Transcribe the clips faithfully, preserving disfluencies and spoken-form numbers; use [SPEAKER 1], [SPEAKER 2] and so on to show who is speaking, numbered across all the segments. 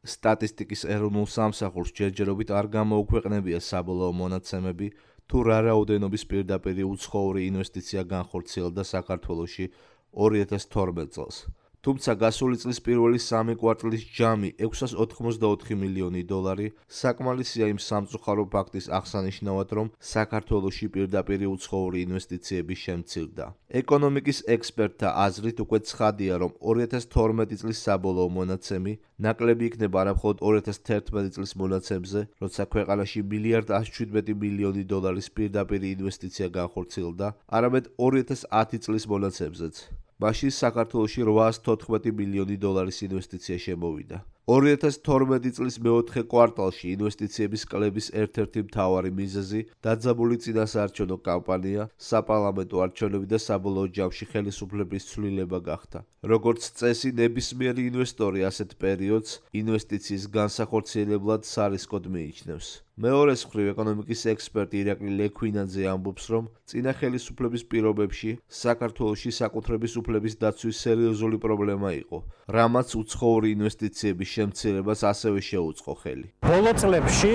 [SPEAKER 1] სტატისტიკის ეროვნულ სამსახურს ჯერჯერობით არ გამოუქვეყნებია საბოლოო მონაცემები, თუ რა რაოდენობის პირდაპირი უცხოური ინვესტიცია განხორციელდა საქართველოში ორი ათას თორმეტ წელს. თუმცა გასული წლის პირველი სამი კვარტლის ჯამი ექვსას ოთხმოცდაოთხი მილიონი დოლარი საკმარისია იმ სამწუხარო ფაქტის აღსანიშნავად, რომ საქართველოში პირდაპირი უცხოური ინვესტიციები შემცირდა. ეკონომიკის ექსპერტთა აზრით უკვე ცხადია, რომ ორი ათას თორმეტი წლის საბოლოო მონაცემი ნაკლები იქნება არა მხოლოდ ორი ათას თერთმეტი წლის მონაცემზე, როცა ქვეყანაში მილიარდ ათს შვიდმეტი მილიონი დოლარის პირდაპირი ინვესტიცია განხორციელდა, არამედ ორი ათას ათი წლის მონაცემზეც. მაშინ საქართველოში რვაას თოთხმეტი მილიონი დოლარის ინვესტიცია შემოვიდა. ორი ათას თორმეტი წლის მეოთხე კვარტალში ინვესტიციების კლების ერთ-ერთი მთავარი მიზეზი დაძაბული წინასაარჩევნო კამპანია, საპარლამენტო არჩევნები და საბოლოო ჯამში ხელისუფლების ცვლილება გახდა. როგორც წესი, ნებისმიერი ინვესტორი ასეთ პერიოდს ინვესტიციის განსახორციელებლად სარისკოდ მიიჩნევს. მეორეს მხრივ, ეკონომიკის ექსპერტი ირაკლი ლექვინაძე ამბობს, რომ წინა ხელისუფლების პირობებში საქართველოში საკუთრების უფლების დაცვის სერიოზული პრობლემა იყო, რამაც უცხოური ინვესტიციების შემცირებას ასევე შეუწყო ხელი.
[SPEAKER 2] ბოლო წლებში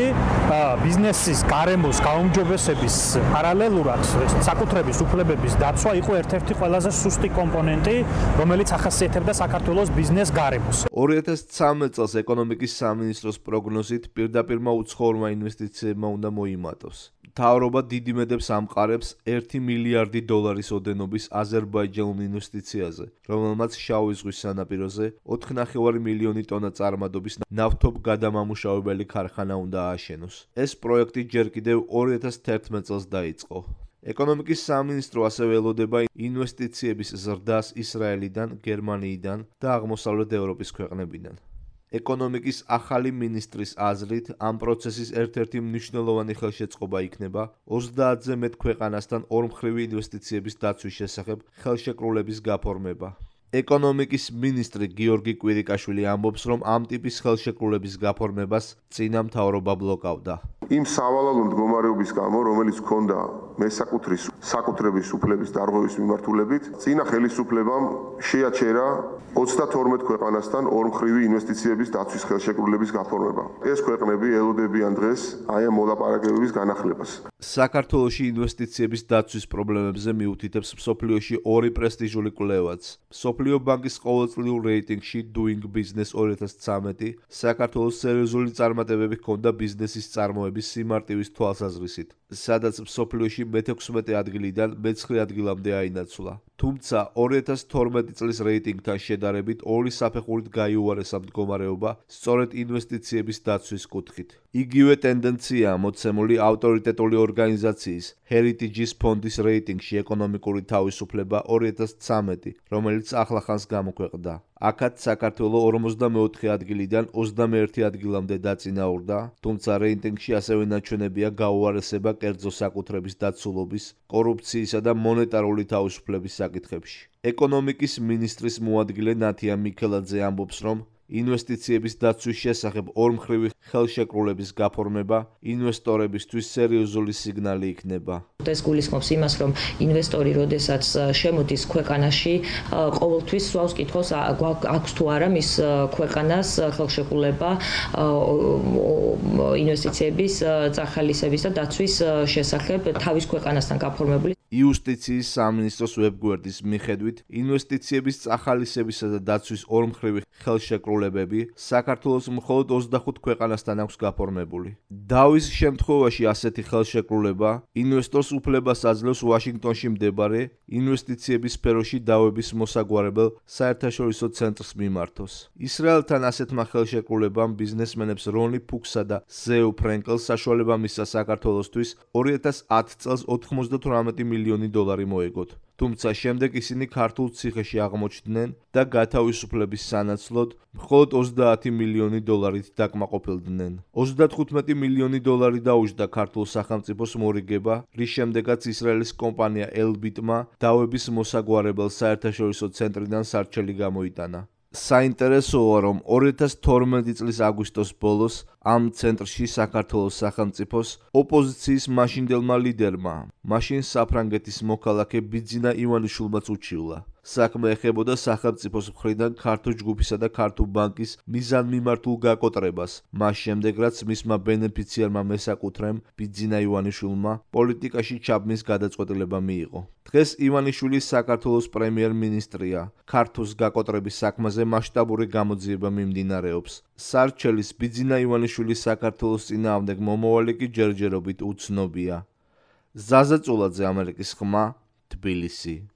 [SPEAKER 2] ბიზნესის გარემოს გაუმჯობესების პარალელურად საკუთრების უფლებების დაცვა იყო ერთ-ერთი ყველაზე სუსტი კომპონენტი, რომელიც ახასიათებდა საქართველოს ბიზნეს გარემოს.
[SPEAKER 1] ორი ათას ცხრამეტ წელს ეკონომიკის სამინისტროს პროგნოზით პირდაპირმა უცხოურმა ინვესტიციებმა უნდა მოიმატოს. მთავრობა დიდი მედებს ამყარებს ერთი მილიარდი დოლარის ოდენობის აზერბაიჯანულ ინვესტიციაზე, რომელმაც შავი ზღვის სანაპიროზე ოთხი ნახევარი მილიონი ტონა წარმადობის ნავთობგადამამუშავებელი ქარხანა უნდა ააშენოს. ეს პროექტი ჯერ კიდევ ორი ათას თერთმეტ წელს დაიწყო. ეკონომიკის სამინისტრო ასევე ელოდება ინვესტიციების ზრდას ისრაელიდან, გერმანიიდან და აღმოსავლეთ ევროპის ქვეყნებიდან. ეკონომიკის ახალი მინისტრის აზრით, ამ პროცესის ერთ-ერთი მნიშვნელოვანი ხელშეწყობა იქნება ოცდაათზე მეტ ქვეყანასთან ორმხრივი ინვესტიციების დაცვის შესახებ ხელშეკრულების გაფორმება. ეკონომიკის მინისტრი გიორგი კვირიკაშვილი ამბობს, რომ ამ ტიპის ხელშეკრულების გაფორმებას წინა მთავრობა ბლოკავდა.
[SPEAKER 3] იმ სავალალო მდგომარეობის გამო, რომელიც ჰქონდა მესაკუთრის საკუთრების უფლების დარღვევის მიმართულებით, წინა ხელისუფლებამ შეაჩერა ოცდათორმეტ ქვეყანასთან ორმხრივი ინვესტიციების დაცვის ხელშეკრულების გაფორმება. ეს ქვეყნები ელოდებიან დღეს აი ამ მოლაპარაკებების განახლებას.
[SPEAKER 1] საქართველოში ინვესტიციების დაცვის პრობლემებზე მიუთითებს მსოფლიოში ორი პრესტიჟული კვლევაც. მსოფლიო ბანკის ყოველწლიურ რეიტინგში Doing Business ორი ათას ცხრამეტი საქართველოს სერიოზული წარმატებები ჰქონდა ბიზნესის წარმოების სიმარტივის თვალსაზრისით, სადაც მსოფლიოში მეთექვსმეტე ადგილიდან მეცხრე ადგილამდე აინაცვლა. თუმცა ორი ათას თორმეტი წლის რეიტინგთან შედარებით ორი საფეხურით გაიუარესა მდგომარეობა სწორედ ინვესტიციების დაცვის კუთხით. იგივე ტენდენციაა მოცემული ავტორიტეტული ორგანიზაციის Heritage-ის ფონდის რეიტინგში ეკონომიკური თავისუფლება ორი ათას ცხრამეტი, რომელიც ახლახანს გამოქვეყნდა. აქაც საქართველო ორმოცდამეოთხე ადგილიდან ოცდამეერთე ადგილამდე დაწინაურდა, თუმცა რეიტინგში ასევე ნაჩვენებია გაუარესება კერძო საკუთრების დაცულობის, კორუფციისა და მონეტარული თავისუფლების საკითხებში. ეკონომიკის მინისტრის მოადგილე ნათია მიქელაძე ამბობს, რომ ინვესტიციების დაცვის შესახებ ორმხრივი ხელშეკრულების გაფორმება ინვესტორებისთვის სერიოზული სიგნალი იქნება.
[SPEAKER 4] ეს გულისხმობს იმას, რომ ინვესტორი, როდესაც შემოდის ქვეყანაში, ყოველთვის სვავს კითხავს, აქვს თუ არა მის ქვეყანას ხელშეკრულება ინვესტიციების წახალისების და დაცვის შესახებ თავის ქვეყანასთან გაფორმებული.
[SPEAKER 1] იუსტიციის სამინისტროს ვებგვერდის მიხედვით, ინვესტიციების წახალისებისა და დაცვის ორმხრივი ხელშეკრულებები საქართველოს მხოლოდ ოცდახუთ ქვეყანასთან აქვს გაფორმებული. დავის შემთხვევაში ასეთი ხელშეკრულება ინვესტორს უფლებას აძლევს ვაშინგტონში მდებარე ინვესტიციების სფეროში დავების მოსაგვარებელ საერთაშორისო ცენტრს მიმართოს. ისრაელთან ასეთმა ხელშეკრულებამ ბიზნესმენებს რონი ფუქსა და ზეუ ფრენკელს საშუალება მისცა საქართველოსთვის ორი ათას ათი წელს ოთხმოცდათვრამეტი მილიონი დოლარი მოეგოთ. თუმცა შემდეგ ისინი ქართულ ციხეში აღმოჩნდნენ და გათავისუფლების სანაცვლოდ მხოლოდ ოცდაათი მილიონი დოლარით დაკმაყოფილდნენ. ოცდათხუთმეტი მილიონი დოლარი დაუჯდა ქართულ სახელმწიფოს მორიგება, რის შემდეგაც ისრაელის კომპანია ელბიტმა დავების მოსაგვარებელ საერთაშორისო ცენტრიდან სარჩელი გამოიტანა. საინტერესოა, რომ ორი ათას თორმეტი წლის აგვისტოს ბოლოს ამ ცენტრში საქართველოს სახელმწიფოს ოპოზიციის მაშინდელმა ლიდერმა, მაშინ საფრანგეთის მოქალაქე ბიძინა ივანიშვილმაც უჩივლა. საქმე ეხებოდა სახელმწიფოს მხრიდან ქართულ ჯგუფისა და ქართულ ბანკის მიზანმიმართულ გაკოტრებას, მას შემდეგ რაც მისმა ბენეფიციარმა მესაკუთრემ ბიძინა ივანიშვილმა პოლიტიკაში ჩაბმის გადაწყვეტილება მიიღო. დღეს ივანიშვილი საქართველოს პრემიერ-მინისტრია. ქართულს გაკოტრების საქმეზე მასშტაბური გამოძიება მიმდინარეობს. სარჩელის ბიძინა ივანიშვილის საქართველოს წინააღმდეგ მომავალი კი ჯერჯერობით უცნობია. ზაზა წულაძე, ამერიკის ხმა, თბილისი.